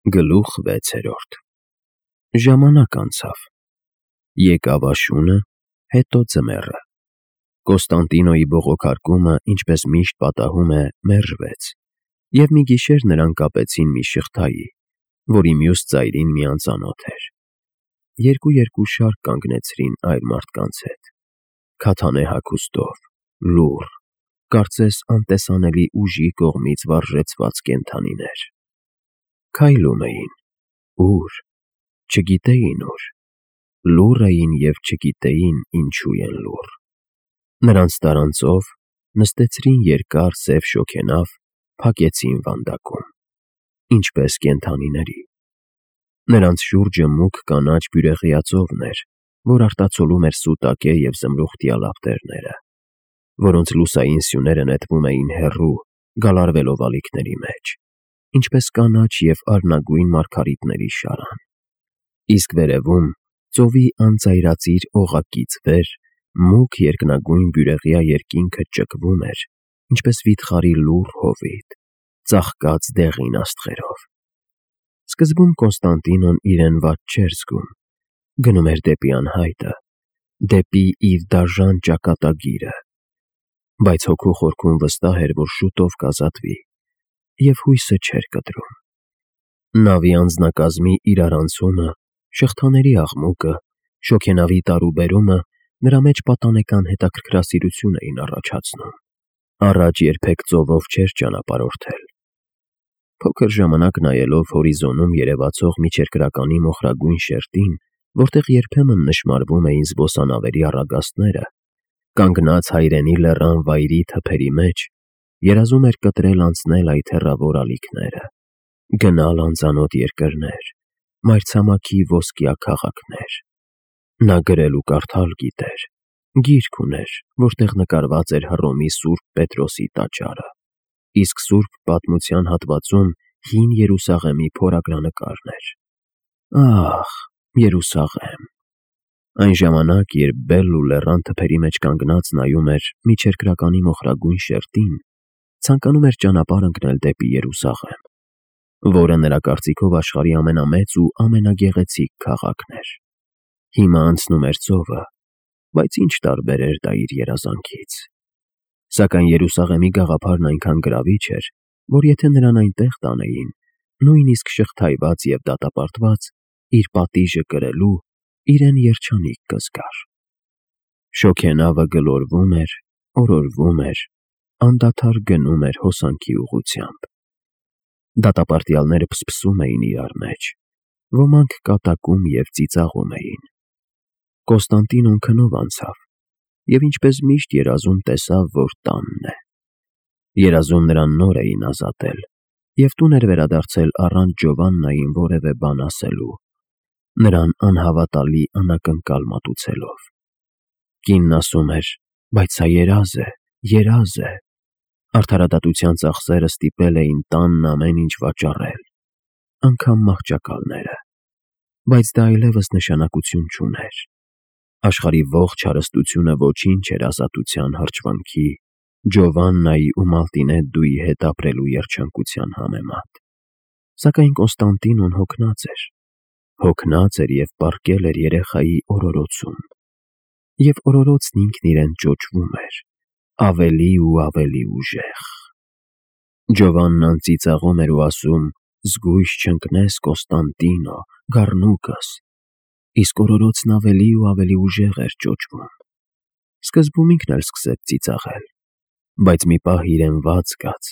Գլուխ 6 Ժամանակ անցավ, եկավ աշունը, հետո ձմեռը, Կոստանդինոյի բողոքարկումը, ինչպես միշտ պատահում է, մերժվեց, և մի գիշեր նրան կապեցին մի շղթայի, որի մյուս ծայրին մի անծանոթ էր, երկու շարք կանգնեցրին այլ մարդկանց հետ, քաթանե հագուստով, լուռ, կարծես անտեսանելի ուժի կողմից վարժեցված կենդանիներ, քայլում էին, ուր, չգիտեին ուր, լուռ էին և չգիտեին ինչու են լուռ, նրանց տարանցով նստեցրին երկար սև շոգենավ, փակեցին վանդակում, ինչպես կենդանիների, նրանց շուրջը մուգ կանաչ բյուրեղյա ծովն էր, որ արտացոլում էր սուտակե և զմրուխտյա լապտերները, որոնց լուսային սյուները նետվում էին հեռու, գալարվելով ալիքների մեջ, ինչպես կանաչ և արնագույն մարգարիտների շարան, իսկ վերևում, ծովի անծայրածիր օղակից վեր, մուգ երկնագույն բյուրեղյա երկինքը ճկվում էր, ինչպես վիթխարի լուռ հովիտ, ծաղկած դեղին աստղերով, սկզբում Կոստանդինոն իրեն վատ չէր զգում, գնում էր դեպի անհայտը, դեպի իր դաժան ճակատագիրը, բայց հոգու խորքում վստահ էր, որ շուտով կազատվի, և հույսը չէր կտրում, նավի անձնակազմի իրարանցումը, շղթաների աղմուկը, շոգենավի տարուբերումը նրա մեջ պատանեկան հետաքրքրասիրություն էին առաջացնում, առաջ երբեք ծովով չէր ճանապարհորդել, փոքր ժամանակ նայելով հորիզոնում երևացող միջերկրականի մոխրագույն շերտին, որտեղ երբեմն նշմարվում էին զբոսանավերի առագաստները, կանգնած հայրենի լեռան վայրի թփերի մեջ, երազում էր կտրել անցնել այդ հեռավոր ալիքները, գնալ անծանոթ երկրներ, մայրցամաքի ոսկյա քաղաքներ, նա գրել ու կարդալ գիտեր, գիրք ուներ, որտեղ նկարված էր Հռոմի Սուրբ Պետրոսի տաճարը, իսկ Սուրբ Պատմության հատվածում Հին Երուսաղեմի փորագրանկարն էր, ահ, Երուսաղեմ, այն ժամանակ, երբ Բելլու լեռան թփերի մեջ կանգնած նայում էր միջերկրականի մոխրագույն շերտին, ցանկանում էր ճանապարհ ընկնել դեպի Երուսաղեմ, որը նրա կարծիքով աշխարհի ամենամեծ ու ամենագեղեցիկ քաղաքն էր, հիմա անցնում էր ծովը, բայց ինչ տարբեր էր դա իր երազանքից, սակայն Երուսաղեմի գաղափարն այնքան գրավիչ էր, որ եթե նրան այնտեղ տանեին, նույնիսկ շղթայված և դատապարտված, իր պատիժը կրելու, իրեն երջանիկ կզգար, շոգենավը գլորվում էր, օրորվում էր, անդադար գնում էր հոսանքի ուղղությամբ, դատապարտյալները փսփսում էին իրար մեջ, ոմանք կատակում և ծիծաղում էին, Կոստանդինոն քնով անցավ, և ինչպես միշտ երազում տեսավ, որ տանն է, երազում նրան նոր էին ազատել, և տուն էր վերադարձել առանց Ջովաննային որևէ բան ասելու, նրան անհավատալի անակնկալ մատուցելով, կինն ասում էր, բայց սա երազ է, արդարադատության ծախսերը ստիպել էին տանն ամեն ինչ վաճառել, անգամ մահճակալները, բայց դա այլևս նշանակություն չուներ, աշխարհի ողջ հարստությունը ոչինչ էր ազատության հրճվանքի, Ջովաննայի ու Մալտինեդդուի հետ ապրելու երջանկության համեմատ, սակայն Կոստանդինոն հոգնած էր և պառկել էր երեխայի օրորոցում, և օրորոցն ինքն իրեն ճոճվում էր, ավելի ու ավելի ուժեղ, Ջովաննան ծիծաղում էր ու ասում. «Զգույշ չընկնես, Կոստանդինո, գառնուկս», իսկ օրորոցն ավելի ու ավելի ուժեղ էր ճոճվում, սկզբում ինքն էլ սկսեց ծիծաղել, բայց մի պահ իրեն վատ զգաց,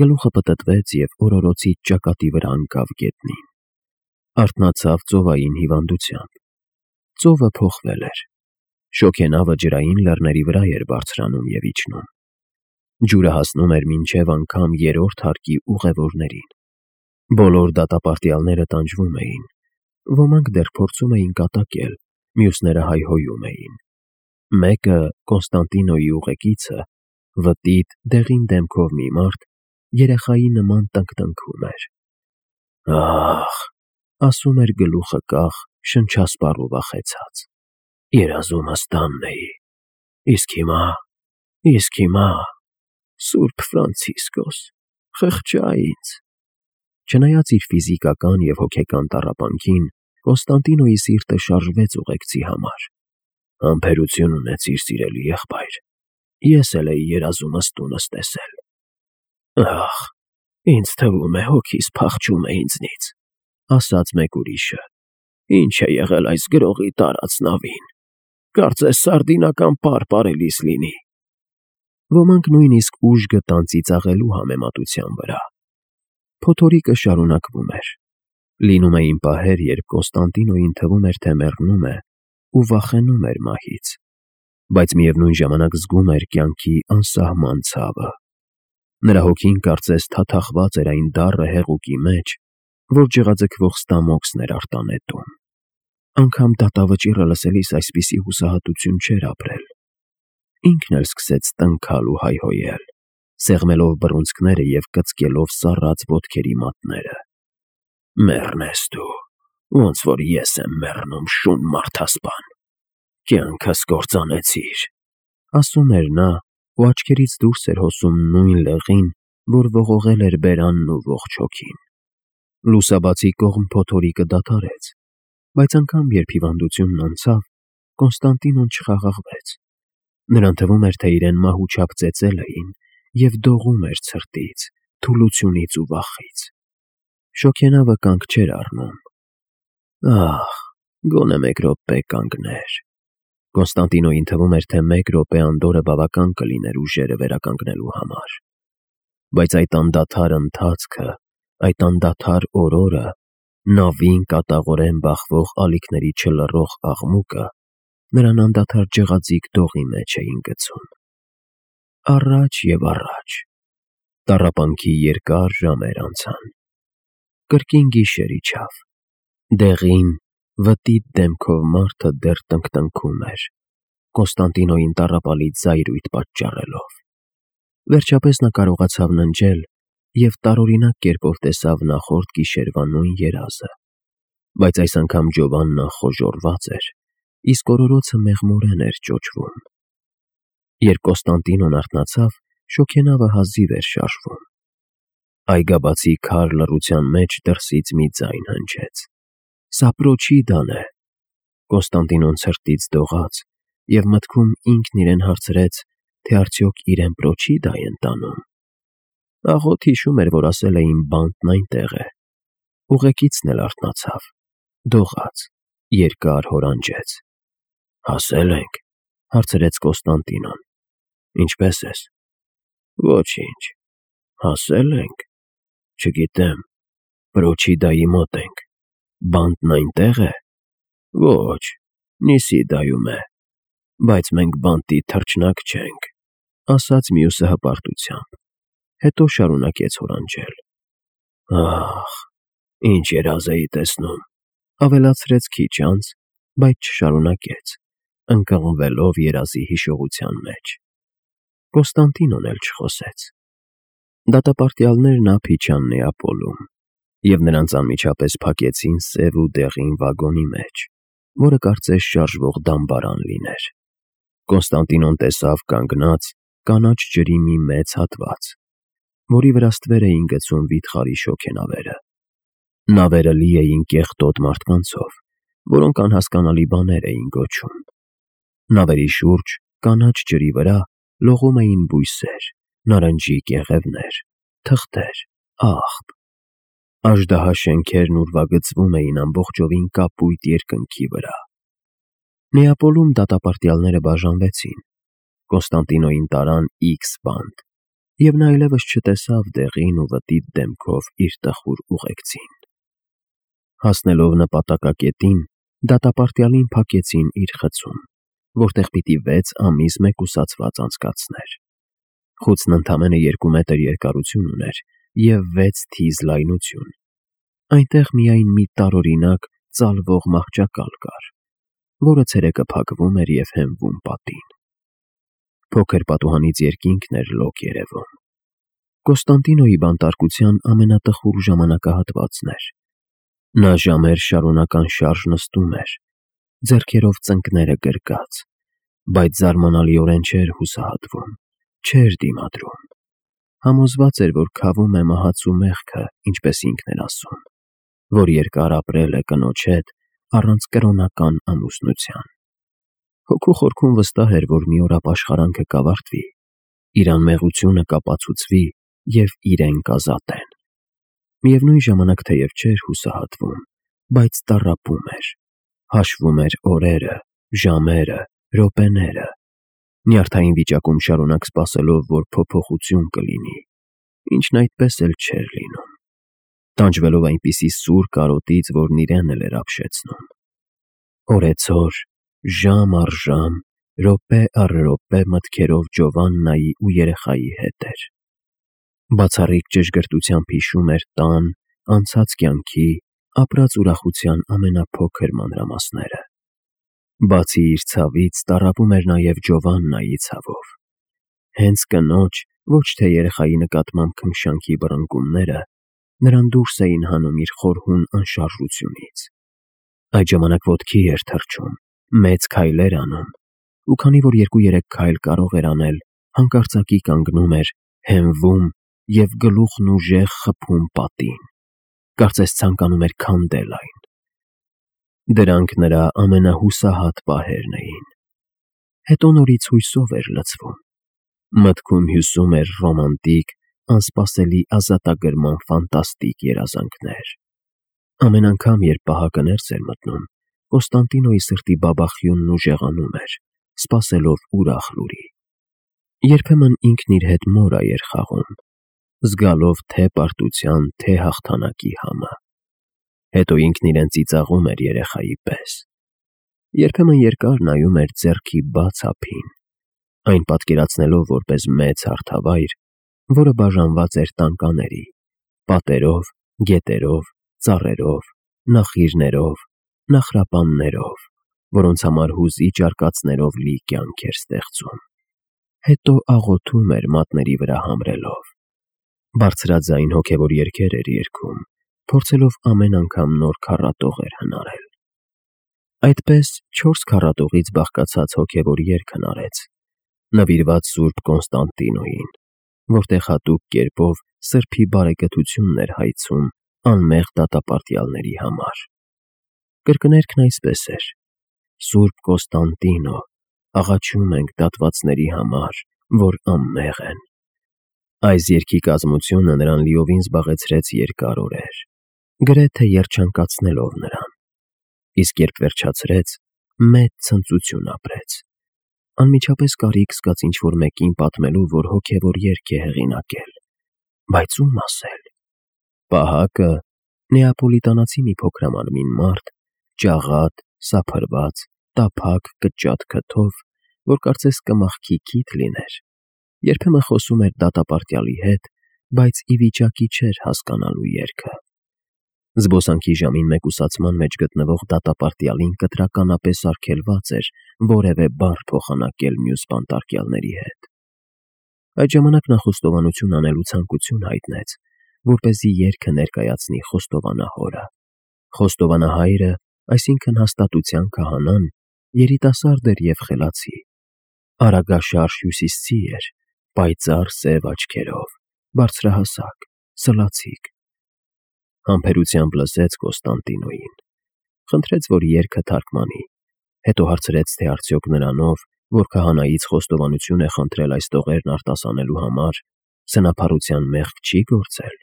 գլուխը պտտվեց և օրորոցի ճակատի վրա ընկավ գետնին, արթնացավ ծովային հիվանդությամբ, ծովը փոխվել էր, շոգենավը ջրային լեռների վրա էր բարձրանում և իջնում, ջուրը հասնում էր մինչև անգամ երրորդ հարկի ուղևորներին, բոլոր դատապարտյալները տանջվում էին, ոմանք դեռ փորձում էին կատակել, մյուսները հայհոյում էին, մեկը, Կոստանդինոյի ուղեկիցը, վտիտ, դեղին դեմքով մի մարդ, երեխայի նման տնկտնքում էր, ահ, ասում էր գլուխը կախ, շնչասպառ ու վախեցած, երազումս տանն էի, իսկ հիմա, Սուրբ Ֆրանցիսկոս, խղճա ինձ, Չնայած իր ֆիզիկական և հոգեկան տառապանքին, Կոնստանտինոյի սիրտը շարժվեց ուղեկցի համար։ «Համբերություն ունեցիր, սիրելի եղբայր, ես էլ էի երազումս տունս տեսել»։ «Ախ, ինձ թվում է հոգիս փախչում է ինձնից», ասաց մեկ ուրիշը։ «Ինչ է եղել այս գրողի տարած նավին, կարծես սարդինական պար պարելիս լինի»։ Ոմանք նույնիսկ ուժ գտան ծիծաղելու համեմատության վրա։ Փոթորիկը շարունակվում էր։ Լինում էին պահեր, երբ Կոնստանտինոյին թվում էր, թե մեռնում է ու վախենում էր մահից, բայց միևնույն ժամանակ զգում էր կյանքի անսահման ցավը։ Նրա հոգին կարծես թաթախված էր այն դառը հեղուկի մեջ, որ ջղաձգվող ստամոքսն էր արտանետում։ Անգամ դատավճիռը լսելիս այսպիսի հուսահատություն չէր ապրել։ Ինքն էլ սկսեց տնքալ ու հայհոյել, սեղմելով բռունցքները և կծկելով սառած ոտքերի մատները։ «Մեռնես դու, ոնց որ ես եմ մեռնում, շուն մարդասպան, կյանքս կործանեցիր», ասում էր նա, ու աչքերից դուրս էր հոսում նույն լեղին, որ ողողել էր բերանն ու ողջ հոգին։ Լուսաբացի կողմ փոթորիկը դադարեց, բայց անգամ երբ հիվանդությունն անցավ, Կոնստանտինոն չխաղաղվեց։ Նրան թվում էր, թե իրեն մահուչափ ծեծել էին և դողում էր ցրտից, թուլությունից ու վախից։ Շոգենավը կանգ չէր առնում։ «Ահ, գոնե մեկ րոպե կանգներ»։ Կոնստանտինոյին թվում էր, թե մեկ րոպե անդորրը բավական կլիներ ուժերը վերականգնելու համար։ Բայց այդ անդադար ընթացքը, այդ անդադար օրորը, նավին կատաղորեն բախվող ալիքների չլռող աղմուկը նրան անդադար ջղաձիգ դողի մեջ էին գցում։ Առաջ և առաջ։ Տառապանքի երկար ժամեր անցան։ Կրկին գիշեր իջավ։ Դեղին, վտիտ դեմքով մարդը դեռ տնկտնքում էր, Կոնստանտինոյին տառապալի զայրույթ պատճառելով։ Վերջապես նա կարողացավ ննջել և տարօրինակ կերպով տեսավ նախորդ գիշերվա նույն երազը, բայց այս անգամ Ջովաննան խոժոռված էր, իսկ օրորոցը մեղմորեն էր ճոճվում։ Երբ Կոնստանտինոն արթնացավ, շոգենավը հազիվ էր շարժվում։ Այգաբացի քար լռության մեջ դրսից մի ձայն հնչեց. «Սա Պրոչիդան է»։ Կոնստանտինոն ցրտից դողաց և մտքում ինքն իրեն հարցրեց, թե արդյոք իրեն Պրոչիդա են տանում։ Աղոթ հիշում էր, որ ասել էին բանտն այնտեղ է։ Ուղեկիցն էլ արթնացավ, դողաց, երկար հորանջեց։ «Հասե՞լ ենք», հարցրեց Կոնստանտինոն։ «Ինչպե՞ս ես»։ «Ոչինչ, հասել ենք։ Չգիտեմ, Պրոչիդայի մոտ ենք։ Բանտն այնտեղ է»։ «Ոչ, Նիսիդայում է, բայց մենք բանտի թռչնակ չենք», ասաց մյուսը հպարտությամբ, հետո շարունակեց հորանջել։ «Ահ, ինչ երազ էի տեսնում», ավելացրեց քիչ անց, բայց չշարունակեց, ընկղմվելով երազի հիշողության մեջ։ Կոնստանտինոն էլ չխոսեց։ Դատապարտյալներն ափ իջան Նեապոլում, և նրանց անմիջապես փակեցին սև ու դեղին վագոնի մեջ, որը կարծես շարժվող դամբարան լիներ։ Կոնստանտինոն տեսավ կանգնած կանաչ ջրի մի մեծ հատված, որի վրա ստվեր էին գցում վիթխարի շոգենավերը։ Նավերը լի էին կեղտոտ մարդկանցով, որոնք անհասկանալի բաներ էին գոչում։ Նավերի շուրջ, կանաչ ջրի վրա, լողում էին բույսեր, նարնջի կեղևներ, թղթեր, աղբ։ Աժդահա շենքերն ուրվագծվում էին ամբողջովին կապույտ երկնքի վրա։ Նեապոլում դատապարտյալները բաժանվեցին։ Կոնստանտինոյին տարան X բանտ, և նա այլևս չտեսավ դեղին ու վտիտ դեմքով իր տխուր ուղեկցին։ Հասնելով նպատակակետին, դատապարտյալին փակեցին իր խցում, որտեղ պիտի 6 ամիս մեկուսացված անցկացներ։ Խուցն ընդամենը 2 մետր երկարություն ուներ և 6 թիզ լայնություն։ Այնտեղ միայն մի տարօրինակ ծալվող մահճակալ կար, որը ցերեկը փակվում էր և հենվում պատին։ Փոքր պատուհանից երկինքն էր լոկ երևում։ Կոնստանտինոյի բանտարկության ամենատխուր ժամանակահատվածն էր։ Նա ժամեր շարունակ անշարժ նստում էր, ձեռքերով ծնկները գրկած, բայց զարմանալիորեն չէր հուսահատվում, չէր դիմադրում։ Համոզված էր, որ քավում է մահացու մեղքը, ինչպես ինքն էր ասում, որ երկար ապրել է կնոջ հետ առանց կրոնական ամուսնության։ Հոգու խորքում վստահ էր, որ մի օր ապաշխարանքը կավարտվի, իր անմեղությունը կապացուցվի և իրեն կազատեն։ Միևնույն ժամանակ թեև չէր հուսահատվում, բայց տառապում էր, հաշվում էր օրերը, ժամերը, րոպեները, նյարդային վիճակում շարունակ սպասելով, որ փոփոխություն կլինի, ինչն այդպես էլ չէր լինում, տանջվելով այնպիսի սուր կարոտից, որն իրեն էլ էր ապշեցնում։ Օրեցօր, ժամ առ ժամ, րոպե առ րոպե մտքերով Ջովաննայի ու երեխայի հետ էր։ Բացառիկ ճշգրտությամբ հիշում էր տան, անցած կյանքի, ապրած ուրախության ամենափոքր մանրամասները։ Բացի իր ցավից, տառապում էր նաև Ջովաննայի ցավով։ Հենց կնոջ, ոչ թե երեխայի նկատմամբ քնքշանքի բռնկումները նրան դուրս էին հանում իր խորհուն անշարժությունից։ Այդ ժամանակ ոտքի էր թռչում, մեծ քայլեր անում, ու քանի որ 2-3 քայլ կարող էր անել, հանկարծակի կանգնում էր, հենվում և գլուխն ուժեղ խփում պատին, կարծես ցանկանում էր քանդել այն։ Դրանք նրա ամենահուսահատ պահերն էին։ Հետո նորից հույսով էր լցվում։ Մտքում հյուսում էր ռոմանտիկ, անսպասելի ազատագրման ֆանտաստիկ երազանքներ։ Ամեն անգամ, երբ պահակը ներս էր մտնում, Կոստանդինոյի սրտի բաբախյունն ուժեղանում էր, սպասելով ուրախ լուրի։ Երբեմն ինքն իր հետ մորա էր խաղում, զգալով թե պարտության, թե հաղթանակի համը։ Հետո ինքն իրեն ծիծաղում էր երեխայի պես։ Երբեմն երկար նայում էր ձեռքի բաց ափին, այն պատկերացնելով որպես մեծ հարթավայր, որը բաժանված էր տանկաների, պատերով, գետերով, ծառերով, նախիրներով, նախրապաններով, որոնց համար հուզիչ արկածներով լի կյանք էր ստեղծում։ Հետո աղոթում էր մատների վրա համրելով։ Բարձրաձայն հոգևոր երգեր էր երգում, փորձելով ամեն անգամ նոր քառատողեր հնարել։ Այդպես 4 քառատողից բաղկացած հոգևոր երգ հնարեց, նվիրված Սուրբ Կոնստանտինոյին, որտեղ հատուկ կերպով սրբի բարեկեցությունն էր հայցում անմեղ դատապարտյալների համար։ Կրկներգն այսպես էր. «Սուրբ Կոստանդինո, աղաչում ենք դատվածների համար, որ անմեղ են»։ Այս երգի կազմությունը նրան լիովին զբաղեցրեց երկար օրեր, գրեթե երջանկացնելով նրան, իսկ երբ վերջացրեց, մեծ ցնծություն ապրեց։ Անմիջապես կարիք զգաց ինչ-որ մեկին պատմելու, որ հոգևոր երգ է հեղինակել, բայց ո՞ւմ ասել։ Պահակը նեապոլիտանացի մի փոքրամանմին մարդ, ճաղատ, սափրված, տափակ կճատ քթով, որ կարծես կմախքի քիթ լիներ, երբեմն խոսում էր դատապարտյալի հետ, բայց ի վիճակի չէր հասկանալու երգը։ Զբոսանքի ժամին մեկուսացման մեջ գտնվող դատապարտյալին կտրականապես արգելված էր որևէ բառ փոխանակել մյուս բանտարկյալների հետ։ Այդ ժամանակ նա խոստովանություն անելու ցանկություն հայտնեց, որպեսզի երգը ներկայացնի խոստովանահորը։ Խոստովանահայրը, այսինքն հաստատության քահանան, երիտասարդ էր և խելացի, արագաշարժ հյուսիսցի էր, պայծառ սև աչքերով, բարձրահասակ, սլացիկ։ Համբերությամբ լսեց Կոստանդինոյին, խնդրեց, որ երգը թարգմանի, հետո հարցրեց, թե արդյոք նրանով, որ քահանայից խոստովանություն է խնդրել այս տողերն արտասանելու համար, սնափառության մեղք չի գործել։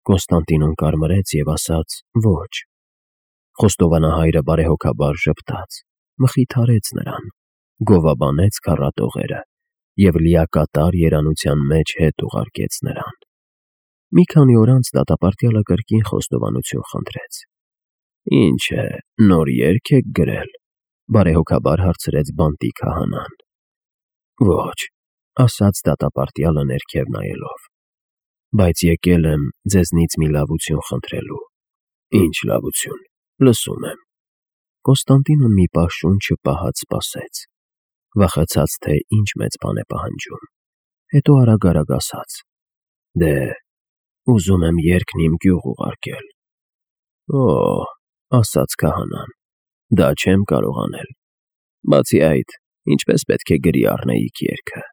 Կոնստանտինոն կարմրեց և ասաց. «Ոչ»։ Խոստովանահայրը բարեհոգաբար ժպտաց, մխիթարեց նրան, գովաբանեց քառատողերը և լիակատար երանության մեջ հետ ուղարկեց նրան։ Մի քանի օր անց դատապարտյալը կրկին խոստովանություն խնդրեց։ «Ինչ է, նոր երգ եք գրել»։ Բարեհոգաբար հարցրեց բանտի քահանան։ «Ոչ», ասաց դատապարտյալը ներքև նայելով, «բայց եկել եմ ձեզնից մի լավություն խնդրելու»։ «Ինչ լավություն, լսում եմ»։ Կոստանդինոն մի պահ շունչը պահած սպասեց, վախեցած, թե ինչ մեծ բան է պահանջում, հետո արագ ասաց. «Դե, ուզում եմ երգն իմ գյուղ ուղարկել»։ «Օ՜», ասաց քահանան, «դա չեմ կարող անել։ Բացի այդ, ինչպես պետք է գրի առնեիք երգը»։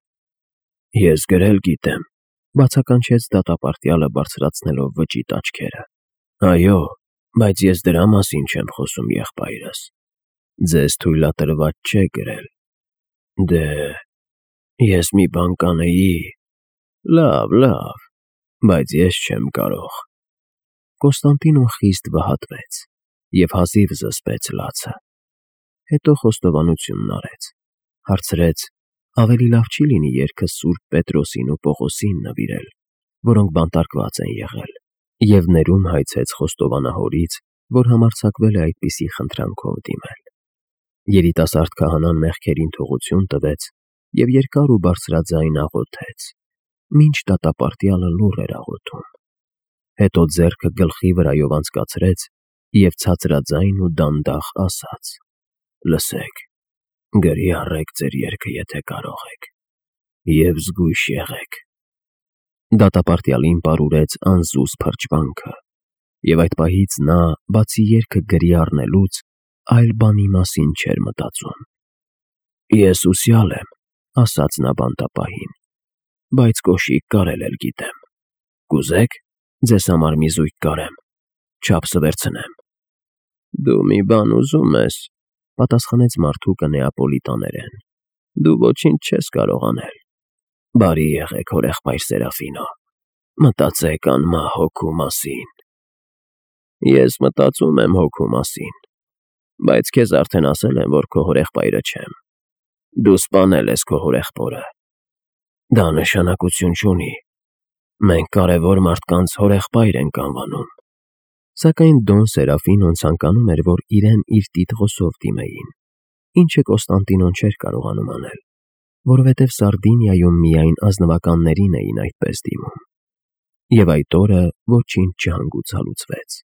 «Ես գրել գիտեմ, Բացականչեց դատապարտյալը բարձրացնելով վճիտ աչքերը։ Այո, բայց ես դրա մասին չեմ խոսում, եղբայրս։ Ձեզ թույլատրված չէ գրել։ Դե, ես մի բան կանեի։ Լավ, բայց ես չեմ կարող։ Կոստանդինոն խիստ վհատվեց և հազիվ զսպեց լացը։ Հետո խոստովանությունն արեց, հարցրեց. ավելի լավ չի լինի երգը Սուրբ Պետրոսին ու Պողոսին նվիրել, որոնք բանտարկված են եղել, և ներում հայցեց խոստովանահորից, որ համարձակվել է այդպիսի խնդրանքով դիմել։ Երիտասարդ քահանան մեղքերին թողություն տվեց և երկար ու բարձրաձայն աղոթեց, մինչ դատապարտյալը լուռ էր աղոթում։ Հետո ձեռքը գլխի վրայով անցկացրեց և ցածրաձայն ու դանդաղ ասաց. «Լսեք, գրի առեք ձեր երգը, եթե կարող եք, և զգույշ եղեք»։ Դատապարտյալին պարուրեց անզուզ փրճվանքը, և այդ պահից նա, բացի երգը գրի առնելուց, այլ բանի մասին չէր մտածում։ «Ես ուսյալ եմ», ասաց նա բանտապահին, «բայց կոշիկ կարել էլ գիտեմ։ Կուզե՞ք ձեզ համար մի զույգ կարեմ, չափսը վերցնեմ»։ «Դու մի բան ուզում ես», պատասխանեց մարդուկը նեապոլիտաներեն, «դու ոչինչ չես կարող անել։ Բարի եղեք, հորեղբայր Սերաֆինո, մտածեք անմահ հոգու մասին»։ «Ես մտածում եմ հոգու մասին, բայց քեզ արդեն ասել եմ, որ քո հորեղբայրը չեմ։ Դու սպանել ես քո հորեղբորը։ Դա նշանակություն չունի։ Մենք կարևոր մարդկանց հորեղբայր ենք անվանում»։ Սակայն Դոն Սերաֆինոն ցանկանում էր, որ իրեն իր տիտղոսով դիմեին, ինչը Կոստանդինոն չէր կարողանում անել, որովհետև Սարդինիայում միայն ազնվականներին էին այդպես դիմում։ Եվ այդ օրը ոչինչ չհանգուցալուծվեց։